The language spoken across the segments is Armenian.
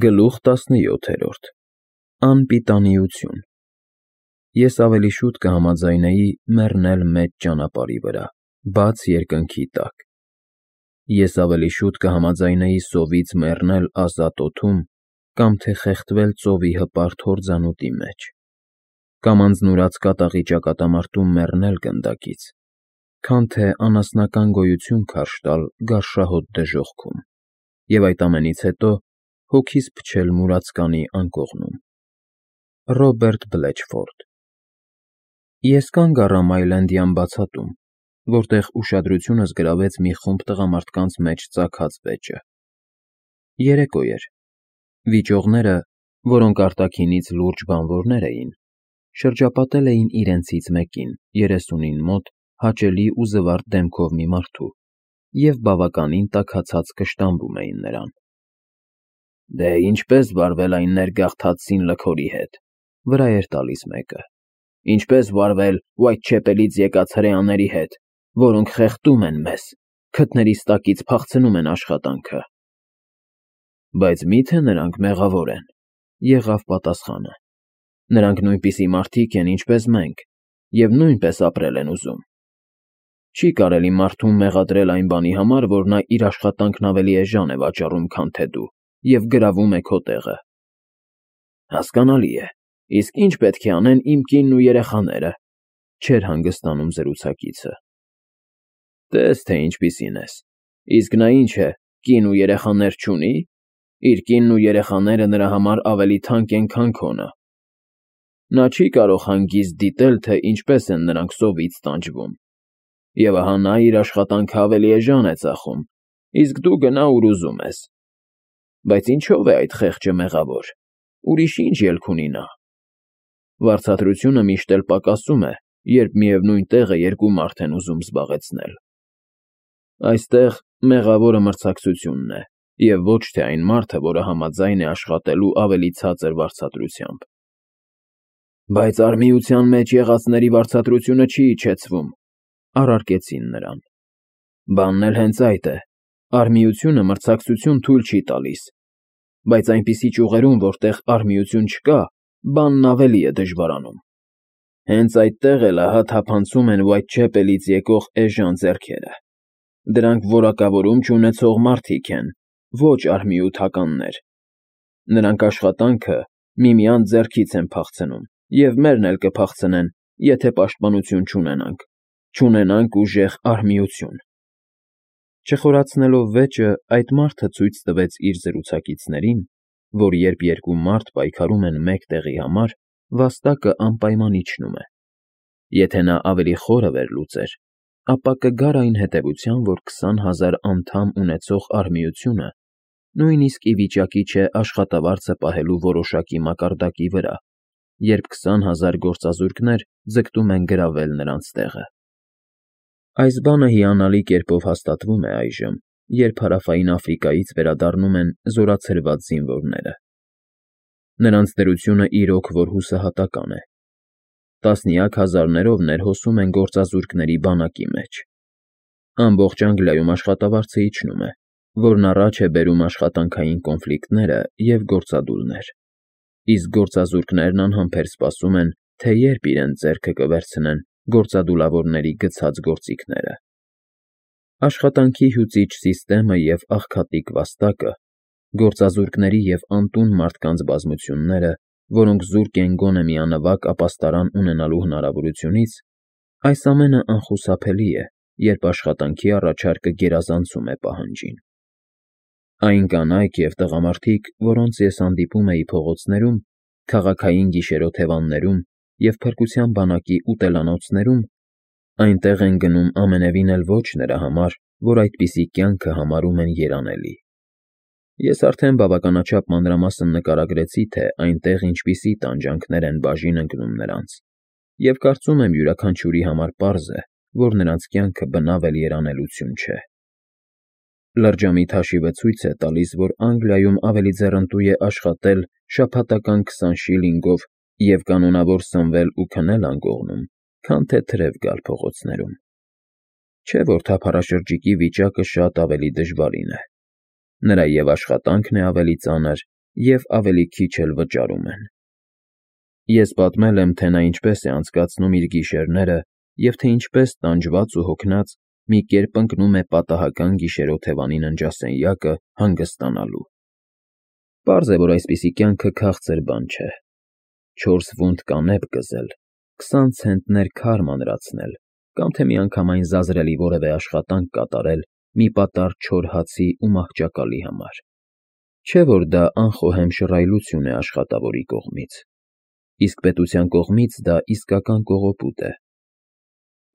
Գլուխ 17 Անպիտանիություն Ես ավելի շուտ կհամաձայնեի մեռնել մեծ ճանապարհի վրա, բաց երկնքի տակ։ Ես ավելի շուտ կհամաձայնեի սովից մեռնել ազատ օդում կամ թե խեղդվել ծովի հպարտ հորձանուտի մեջ, կամ անձնուրաց կատաղի ճակատամարտում մեռնել գնդակից, քան թե անասնական գոյություն քարշ տալ գարշահոտ դժոխքում և այդ ամենից հետո հոգիս փչել մուրացկանի անկողնում։ Ռոբերտ Բլեչֆորդ Ես կանգ առա Մայլենդյան բացատում, որտեղ ուշադրությունս գրավեց մի խումբ տղամարդկանց մեջ ծագած վեճը։ Երեկո էր։ Վիճողները, որոնք արտաքինից լուրջ բանվորներ էին, շրջապատել էին իրենցից մեկին, 30-ին մոտ, հաճելի ու զվարթ դեմքով մի մարդու և բավականին տաքացած կշտամբում էին նրան։ Դե ինչպես վարվել այն ներգաղթած լքորի հետ, վրա էր տալիս մեկը, ինչպես վարվել Ուայթչեպելից եկած հրեաների հետ, որոնք խեղդում են մեզ, քթներիս տակից փախցնում են աշխատանքը։ Բայց մի՞թե նրանք մեղավոր են, եղավ պատասխանը։ Նրանք նույնպիսի մարդիկ են, ինչպես մենք, և նույնպես ապրել են ուզում։ Չի կարելի մարդուն մեղադրել այն բանի համար, որ նա իր աշխատանքն ավելի էժան է վաճառում, քան թե դու, և գրավում է քո տեղը։ Հասկանալի է, իսկ ի՞նչ պետք է անեն իմ կինն ու երեխաները, չէր հանգստանում զրուցակիցը։ Տես, թե ինչպիսին ես, իսկ նա ինչ է, կին ու երեխաներ չունի՞, իր կինն ու երեխաները նրա համար ավելի թանկ են, քան քոնը։ Նա չի կարող հանգիստ դիտել, թե ինչպես են նրանք սովից տանջվում։ Եվ ահա նա իր աշխատանքը ավելի էժան է ծախում, իսկ դու գնա ուր ուզում ես։ Բայց ինչո՞վ է այդ խեղճը մեղավոր, ուրիշ ինչ ելք ունի նա։ Վարձատրությունը միշտ էլ պակասում է, երբ միևնույն տեղը երկու մարդ են ուզում զբաղեցնել։ Այստեղ մեղավորը մրցակցությունն է, և ոչ թե այն մարդը, որը համաձայն է աշխատելու ավելի ցածր վարձատրությամբ։ Բայց արհմիության մեջ եղածների վարձատրությունը չի իջեցվում, առարկեցին նրան։ Բանն էլ հենց այդ է, արհմիությունը մրցակցություն թույլ չի տալիս, բայց այնպիսի ճյուղերում, որտեղ արհմիություն չկա, բանն ավելի է դժվարանում։ Հենց այդտեղ էլ ահա թափանցում են Ուայթչեպելից եկող էժան ձեռքերը։ Դրանք որակավորում չունեցող մարդիկ են, ոչ արհմիութականներ։ Նրանք աշխատանքը միմյանց ձեռքից են փախցնում, և մերն էլ կփախցնեն, եթե պաշտպանություն չունենանք ուժեղ արհմիություն։ Չխորացնելով վեճը, այդ մարդը ցույց տվեց իր զրուցակիցներին, որ երբ երկու մարդ պայքարում են մեկ տեղի համար, վաստակը անպայման իջնում է։ Եթե նա ավելի խորը վերլուծեր, ապա կգար այն հետևության, որ 20,000 անդամ ունեցող արհմիությունը նույնիսկ ի վիճակի չէ աշխատավարձը պահելու որոշակի մակարդակի վրա, երբ 20,000 գործազուրկներ ձգտում են գրավել նրանց տեղը։ Այս բանը հիանալի կերպով հաստատվում է այժմ, երբ Հարավային Աֆրիկայից վերադառնում են զորացրված զինվորները։ Նրանց դրությունը իրոք որ հուսահատական է։ Տասնյակ հազարներով ներհոսում են գործազուրկների բանակի մեջ։ Ամբողջ Անգլիայում աշխատավարձը իջնում է, որն առաջ է բերում աշխատանքային կոնֆլիկտները և գործադուլներ, իսկ գործազուրկներն անհամբեր սպասում են, թե երբ իրենց ձեռքը կվերցնեն գործադուլավորների գցած գործիքները։ Աշխատանքի հյուծիչ սիստեմը և աղքատիկ վաստակը, գործազուրկների և անտուն մարդկանց բազմությունները, որոնք զուրկ են գոնե միանվագ ապաստարան ունենալու հնարավորությունից, այս ամենը անխուսափելի է, երբ աշխատանքի առաջարկը գերազանցում է պահանջին։ Այն կանայք և տղամարդիկ, որոնց ես հանդիպում էի փողոցներում, քաղաքային գիշերօթևաններում և փրկության բանակի ուտելանոցներում, այնտեղ են գնում ամենևին էլ ոչ նրա համար, որ այդպիսի կյանքը համարում են երանելի։ Ես արդեն բավականաչափ մանրամասն նկարագրեցի, թե այնտեղ ինչպիսի տանջանքներ են բաժին ընկնում նրանց, և կարծում եմ յուրաքանչյուրի համար պարզ է, որ նրանց կյանքը բնավ էլ երանելություն չէ։ Լրջամիտ հաշիվը ցույց է տալիս, որ Անգլիայում ավելի ձեռնտու է աշխատել շաբաթական 20 շիլինգով և կանոնավոր սնվել ու քնել անկողնում, քան թե թրև գալ փողոցներում։ Չէ՞ որ թափառաշրջիկի վիճակը շատ ավելի դժվարին է։ Նրա և աշխատանքն է ավելի ծանր, և ավելի քիչ էլ վճարում են։ Ես պատմել եմ, թե նա ինչպես է անցկացնում իր գիշերները և թե ինչպես տանջված ու հոգնած մի կերպ ընկնում է պատահական գիշերօթևանի ննջասենյակը հանգստանալու։ Պարզ է, որ այսպիսի կյանքը քաղցր բան չէ. 4 վունտ կանեփ կզել, 20 ցենտներ քար մանրացնել կամ թե միանգամայն զազրելի որևէ աշխատանք կատարել մի պատառ չոր հացի ու մահճակալի համար։ Չէ՞ որ դա անխոհեմ շռայլություն է աշխատավորի կողմից, իսկ պետության կողմից դա իսկական կողոպուտ է։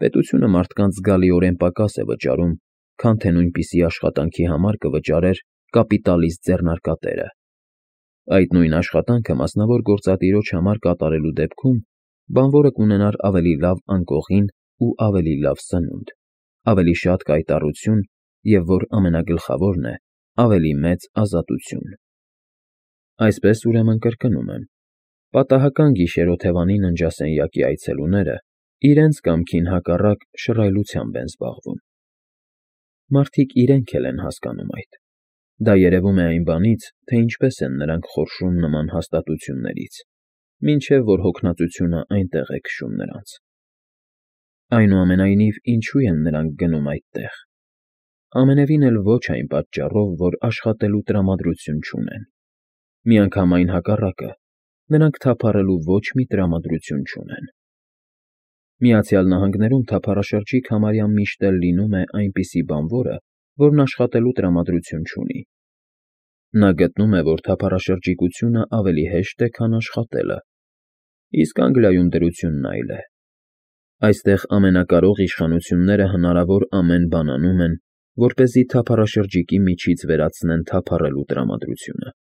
Պետությունը մարդկանց զգալիորեն պակաս է վճարում, քան թե նույնպիսի աշխատանքի համար կվճարեր կապիտալիստ ձեռնարկատերը։ Այդ նույն աշխատանքը մասնավոր գործատիրոջ համար կատարելու դեպքում բանվորը կունենար ավելի լավ անկողին ու ավելի լավ սնունդ, ավելի շատ կայտառություն և, որ ամենագլխավորն է, ավելի մեծ ազատություն։ Այսպես, ուրեմն, կրկնում եմ, պատահական գիշերօթևանի ննջասենյակի այցելուները իրենց կամքին հակառակ շռայլությամբ են զբաղվում։ Մարդիկ իրենք էլ են հասկանում այդ։ Դա երևում է այն բանից, թե ինչպես են նրանք խորշում նման հաստատություններից, մինչև որ հոգնածությունը այնտեղ է քշում նրանց։ Այնուամենայնիվ, ինչու են նրանք գնում այդտեղ։ Ամենևին էլ ոչ այն պատճառով, որ աշխատելու տրամադրություն չունեն։ Միանգամայն հակառակը, նրանք թափառելու ոչ մի տրամադրություն չունեն։ Միացյալ Նահանգներում թափառաշրջիկ համարյա միշտ էլ լինում է այնպիսի բանվորը, որն աշխատելու տրամադրություն չունի։ Նա գտնում է, որ թափառաշրջիկությունը ավելի հեշտ է, քան աշխատելը, իսկ Անգլիայում դրությունն այլ է։ Այստեղ ամենակարող իշխանությունները հնարավոր ամեն բան անում են, որպեսզի թափառաշրջիկի միջից վերացնեն թափառելու տրամադրությունը։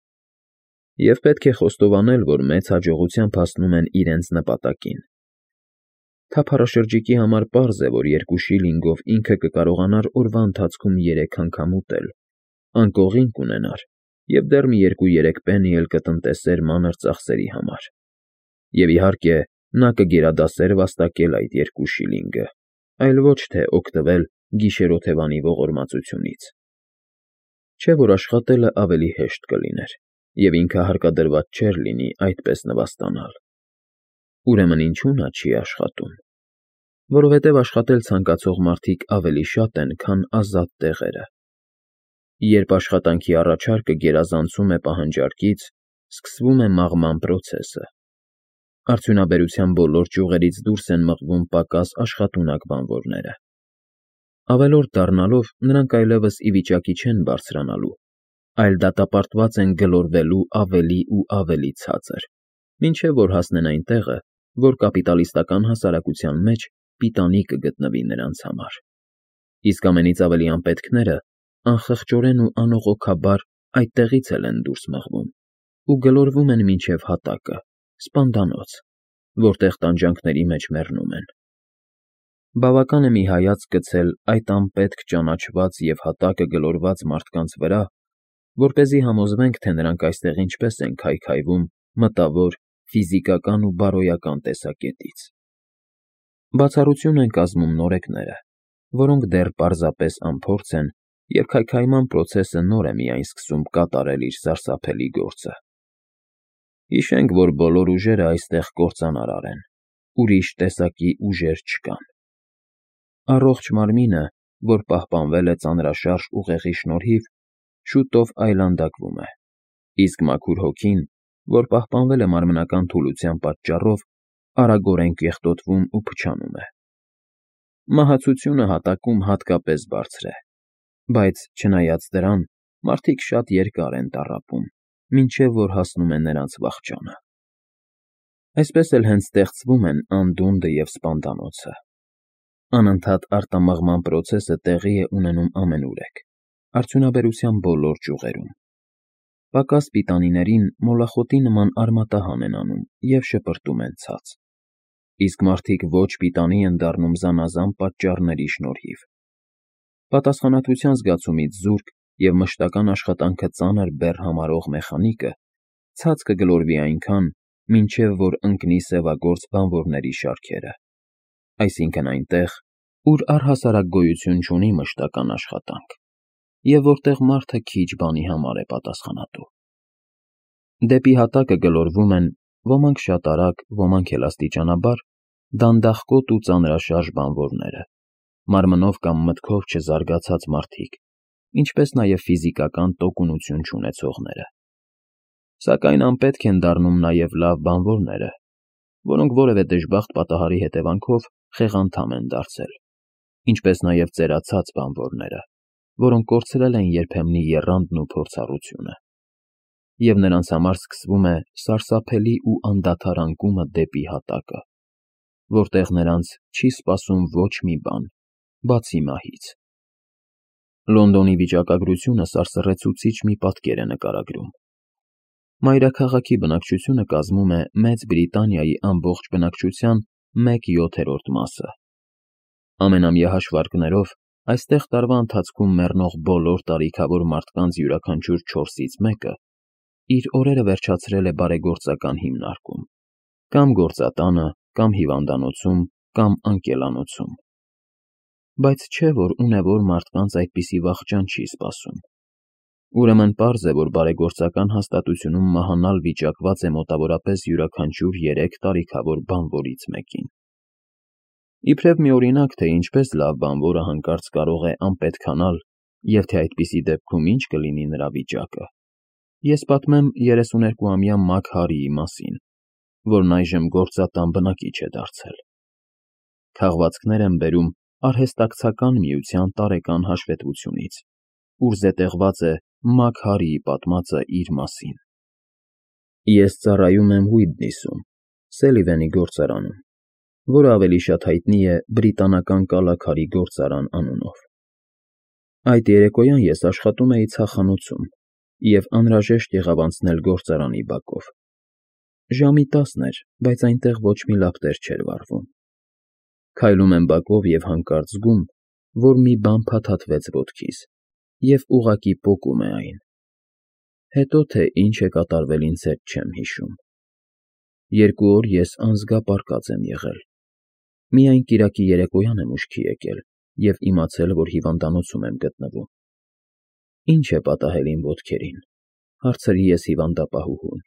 Եվ պետք է խոստովանել, որ մեծ հաջողությամբ հասնում են իրենց նպատակին։ Թափառաշրջիկի համար պարզ է, որ 2 շիլինգով ինքը կկարողանար օրվա ընթացքում 3 անգամ ուտել, անկողին կունենար և դեռ մի 2-3 պենի էլ կտնտեսեր մանր ծախսերի համար։ Եվ իհարկե, նա կգերադասեր վաստակել այդ 2 շիլինգը, այլ ոչ թե օգտվել գիշերօթևանի ողորմածությունից։ Չէ՞ որ աշխատելը ավելի հեշտ կլիներ, և ինքը հարկադրված չէր լինի այդպես նվաստանալ։ Ուրեմն ինչու՞ նա չի աշխատում։ Որովհետև աշխատել ցանկացող մարդիկ ավելի շատ են, քան ազատ տեղերը։ Երբ աշխատանքի առաջարկը գերազանցում է պահանջարկից, սկսվում է մաղման պրոցեսը։ Արդյունաբերության բոլոր ճյուղերից դուրս են մղվում պակաս աշխատունակ բանվորները։ Ավելորդ դառնալով, նրանք այլևս ի վիճակի չեն բարձրանալու, այլ դատապարտված են գլորվելու ավելի ու ավելի ցածր, մինչև որ հասնեն այն տեղը, որ կապիտալիստական հասարակության մեջ պիտանի կգտնվի նրանց համար։ Իսկ ամենից ավելի անպետքները անխղճորեն ու անողոքաբար այդտեղից էլ են դուրս մղվում ու գլորվում են մինչև հատակը, սպանդանոց, որտեղ տանջանքների մեջ մեռնում են։ Բավական է մի հայացք գցել այդ անպետք ճանաչված և հատակը գլորված մարդկանց վրա, որպեսզի համոզվենք, թե նրանք այստեղ ինչպես են քայքայվում մտավոր, ֆիզիկական ու բարոյական տեսակետից։ Բացառություն են կազմում նորեկները, որոնք դեռ պարզապես անփորձ են և քայքայման պրոցեսը նոր է միայն սկսում կատարել իր սարսափելի գործը։ Հիշենք, որ բոլոր ուժերը այստեղ կործանարար են, ուրիշ տեսակի ուժեր չկան։ Առողջ մարմինը, որ պահպանվել է ծանրաշարժ ուղեղի շնորհիվ, շուտով այլանդակվում է, իսկ մաքուր հոգին, որ պահպանվել է մարմնական թուլության պատճառով, արագորեն կեղտոտվում ու փչանում է։ Մահացությունը հատակում հատկապես բարձր է, բայց, չնայած դրան, մարդիկ շատ երկար են տառապում, մինչև որ հասնում է նրանց վախճանը։ Այսպես էլ հենց ստեղծվում են անդունդը և սպանդանոցը։ Անընդհատ արտամղման պրոցեսը տեղի է ունենում ամենուրեք, արդյունաբերության բոլոր ճյուղերում։ Պակաս պիտանիներին մոլախոտի նման արմատահան են անում և շպրտում են ցած, իսկ մարդիկ ոչ պիտանի են դառնում զանազան պատճառների շնորհիվ։ Պատասխանատվության զգացումից զուրկ և մշտական աշխատանքը ծանր բեռ համարող մեխանիկը ցած կգլորվի այնքան, մինչև որ ընկնի սևագործ բանվորների շարքերը, այսինքն այնտեղ, ուր առհասարակ գոյություն չունի մշտական աշխատանք, և որտեղ մարդը քիչ բանի համար է պատասխանատու։ Դեպի հատակը գլորվում են ոմանք շատ արագ, ոմանք էլ աստիճանաբար դանդաղկոտ ու ծանրաշարժ բանվորները, մարմնով կամ մտքով չզարգացած մարդիկ, ինչպես նաև ֆիզիկական տոկունություն չունեցողները։ Սակայն անպետք են դառնում նաև լավ բանվորները, որոնք որևէ դժբախտ պատահարի հետևանքով խեղանդամ են դարձել, ինչպես նաև ծերացած բանվորները, որոնք կորցրել են երբեմնի եռանդն ու փորձառությունը, և նրանց համար սկսվում է սարսափելի ու անդադար անկումը դեպի հատակը, որտեղ նրանց չի սպասում ոչ մի բան, բացի մահից։ Լոնդոնի վիճակագրությունը սարսռեցուցիչ մի պատկեր է նկարագրում։ Մայրաքաղաքի բնակչությունը կազմում է Մեծ Բրիտանիայի ամբողջ բնակչության 1/7 մասը։ Ամենամյա հաշվարկներով այստեղ տարվա ընթացքում մեռնող բոլոր տարիքավոր մարդկանց յուրաքանչյուր 4-ից մեկը իր օրերը վերջացրել է բարեգործական հիմնարկում, կամ գործատանը, կամ հիվանդանոցում, կամ անկելանոցում։ Բայց չէ, որ ունևոր մարդկանց այդպիսի վախճան չի սպասում։ Ուրեմն պարզ է, որ բարեգործական հաստատությունում մահանալ վիճակված է մոտավորապես յուրաքանչյուր 3 տարիքավոր բանվորից մեկին։ Իբրև մի օրինակ, թե ինչպես լավ բանվորը հանկարծ կարող է անպետքանալ և թե այդպիսի դեպքում ինչ կլինի նրա վիճակը, ես պատմեմ 32-ամյա Մաք Հարիի մասին, որն այժմ գործատան բնակիչ է դարձել։ Քաղվածքներ եմ բերում Արհեստակցական միության տարեկան հաշվետվությունից, ուր զետեղված է Մաք Հարիի պատմածը իր մասին։ Ես ծառայում եմ Ուիթնիսում, Սելիվանի գործարանում, որը ավելի շատ հայտնի է Բրիտանական կալաքարի գործարան անունով։ Այդ երեկոյան ես աշխատում էի ցախանոցում և անհրաժեշտ եղավ անցնել գործարանի բակով։ Ժամի 10 էր, բայց այնտեղ ոչ մի լավ տեղ չէր վառվում։ Քայլում եմ բակով և հանկարծ զգում, որ մի բան փաթաթվեց ոտքիս և ուղղակի պոկում է այն։ Հետո թե ինչ է կատարվել ինձ հետ չեմ հիշում։ 2 օր ես անզգապարկած եմ եղել։ Միայն կիրակի երեկոյան եմ ուշքի եկել և իմացել, որ հիվանդանոցում եմ գտնվում։ Ինչ է պատահել իմ ոտքերին, հարցրի ես հիվանդապահուհուն,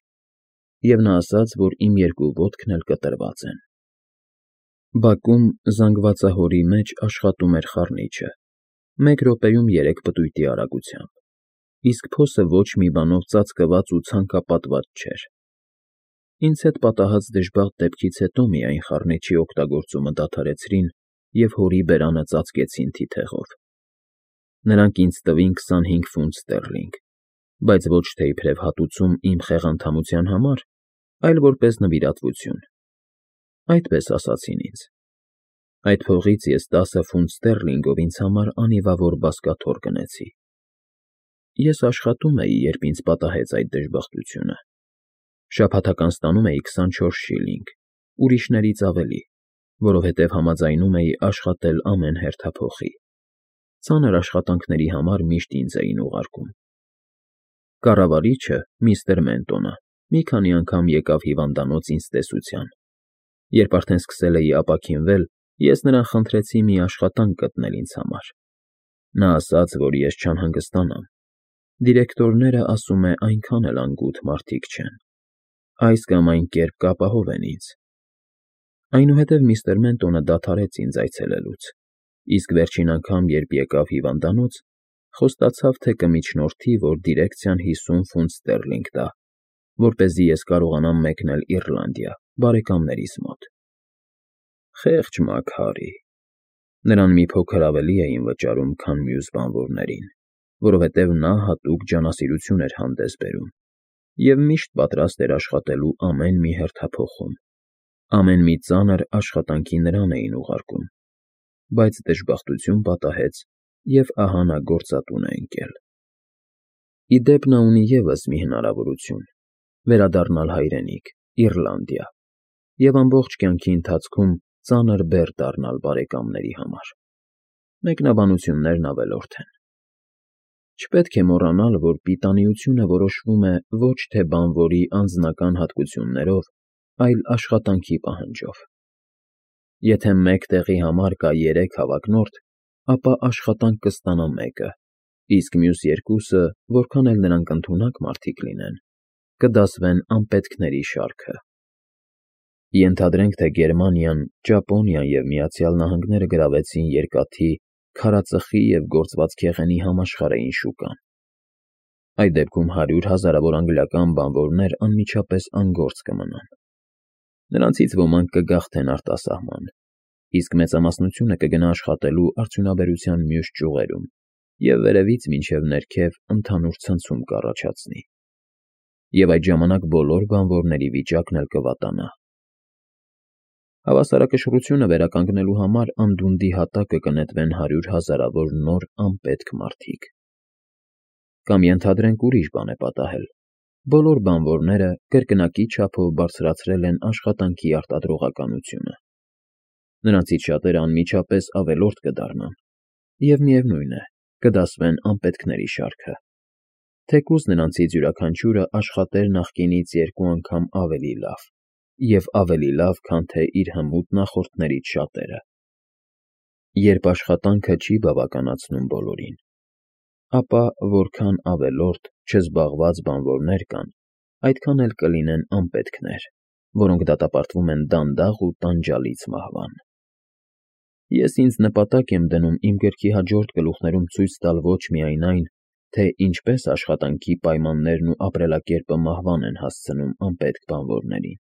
և նա ասաց, որ իմ 2 ոտքն էլ կտրված են։ Բակում զանգվածահորի մեջ աշխատում էր խառնիչը, 1 րոպեում 3 պտույտի արագությամբ, իսկ փոսը ոչ մի բանով ծածկված ու ցանկապատված չէր։ Ինձ հետ պատահած դժբախտ դեպքից հետո միայն խառնիչի օգտագործումը դադարեցրին և հորի բերանը ծածկեցին թիթեղով։ Նրանք ինձ տվին 25 ֆունտ ստերլինգ, բայց ոչ թե իբրև հատուցում իմ խեղանդամության համար, այլ որպես նվիրատվություն։ Այդպես ասացին ինձ։ Այդ փողից ես 10 ֆունտ ստերլինգով ինձ համար անիվավոր բազկաթոռ գնեցի։ Ես աշխատում էի, երբ ինձ պատահեց այդ դժբախտությունը։ Շաբաթական ստանում էի 24 շիլինգ, ուրիշներից ավելի, որովհետև համաձայնում էի աշխատել ամեն հերթափոխի։ Ծանր աշխատանքների համար միշտ ինձ էին ուղարկում։ Կառավարիչը, միստր Մենտոնը, մի քանի անգամ եկավ հիվանդանոց ինձ տեսության։ Երբ արդեն սկսել էի ապաքինվել, ես նրան խնդրեցի մի աշխատանք գտնել ինձ համար։ Նա ասաց, որ ես չանհանգստանամ։ Դիրեկտորները, ասում է, այնքան էլ անգութ մարդիկ չեն։ Այս կամ այն կերպ կապահովեն ինձ։ Այնուհետև միստր Մենտոնը դադարեց ինձ այցելելուց, իսկ վերջին անգամ, երբ եկավ հիվանդանոց, խոստացավ, թե կմիջնորդի, որ դիրեկցիան 50 ֆունտ ստերլինգ տա, որպեսզի ես կարողանամ մեկնել Իռլանդիա, բարեկամներիս մոտ։ Խեղճ Մաք Հարի։ Նրան մի փոքր ավելի էին վճարում, քան մյուս բանվորներին, որովհետև նա հատուկ ջանասիրություն էր հանդես բերում և միշտ պատրաստ էր աշխատելու ամեն մի հերթափոխում։ Ամեն մի ծանր աշխատանքի նրան էին ուղարկում, բայց դժբախտություն պատահեց, և ահա նա գործատուն է ընկել։ Ի դեպ, նա ունի ևս մի հնարավորություն՝ վերադառնալ հայրենիք, Իռլանդիա, և ամբողջ կյանքի ընթացքում ծանր բեռ դառնալ բարեկամների համար։ Մեկնաբանություններն ավելորդ են։ Չպետք է մոռանալ, որ պիտանիությունը որոշվում է ոչ թե բանվորի անձնական հատկություններով, այլ աշխատանքի պահանջով։ Եթե մեկ տեղի համար կա 3 հավակնորդ, ապա աշխատանք կստանա մեկը, իսկ մյուս 2-ը, որքան էլ նրանք ընդունակ մարդիկ լինեն, կդասվեն անպետքների շարքը։ Ենթադրենք, թե Գերմանիան, Ճապոնիան և Միացյալ Նահանգները գրավեցին երկաթի, քարածխի և գործված քեղենի համաշխարհային շուկան։ Այդ դեպքում 100 հազարավոր անգլիական բանվորներ անմիջապես անգործ կմնան։ Նրանցից ոմանք կգաղթեն արտասահման, իսկ մեծամասնությունը կգնա աշխատելու արդյունաբերության մյուս ճյուղերում և վերևից մինչև ներքև ընդհանուր ցնցում կառաջացնի։ Եվ այդ ժամանակ բոլոր բանվորների վիճակն էլ կվատանա։ Հավասարակշռությունը վերականգնելու համար անդունդի հատակը կնետվեն 100 հազարավոր նոր անպետք մարդիկ։ Կամ ենթադրենք ուրիշ բան է պատահել. բոլոր բանվորները կրկնակի չափով բարձրացրել են աշխատանքի արտադրողականությունը։ Նրանցից շատերը անմիջապես ավելորդ կդառնան, և միևնույն է, կդասվեն անպետքների շարքը, թեկուզ նրանցից յուրաքանչյուրը աշխատեր նախկինից 2 անգամ ավելի լավ, և ավելի լավ, քան թե իր հմուտ նախորդներից շատերը։ Երբ աշխատանքը չի բավականացնում բոլորին, ապա որքան ավելորդ, չզբաղված բանվորներ կան, այդքան էլ կլինեն անպետքներ, որոնք դատապարտվում են դանդաղ ու տանջալից մահվան։ Ես ինձ նպատակ եմ դնում իմ գրքի հաջորդ գլուխներում ցույց տալ ոչ միայն այն, թե ինչպես աշխատանքի պայմաններն ու ապրելակերպը մահվան են հասցնում անպետք բանվորներին,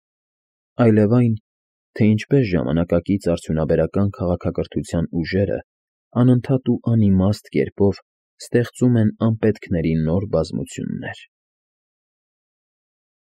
այլև այն, թե ինչպես ժամանակակից արդյունաբերական քաղաքակրթության ուժերը անընդհատ ու անիմաստ կերպով ստեղծում են անպետքների նոր բազմություններ։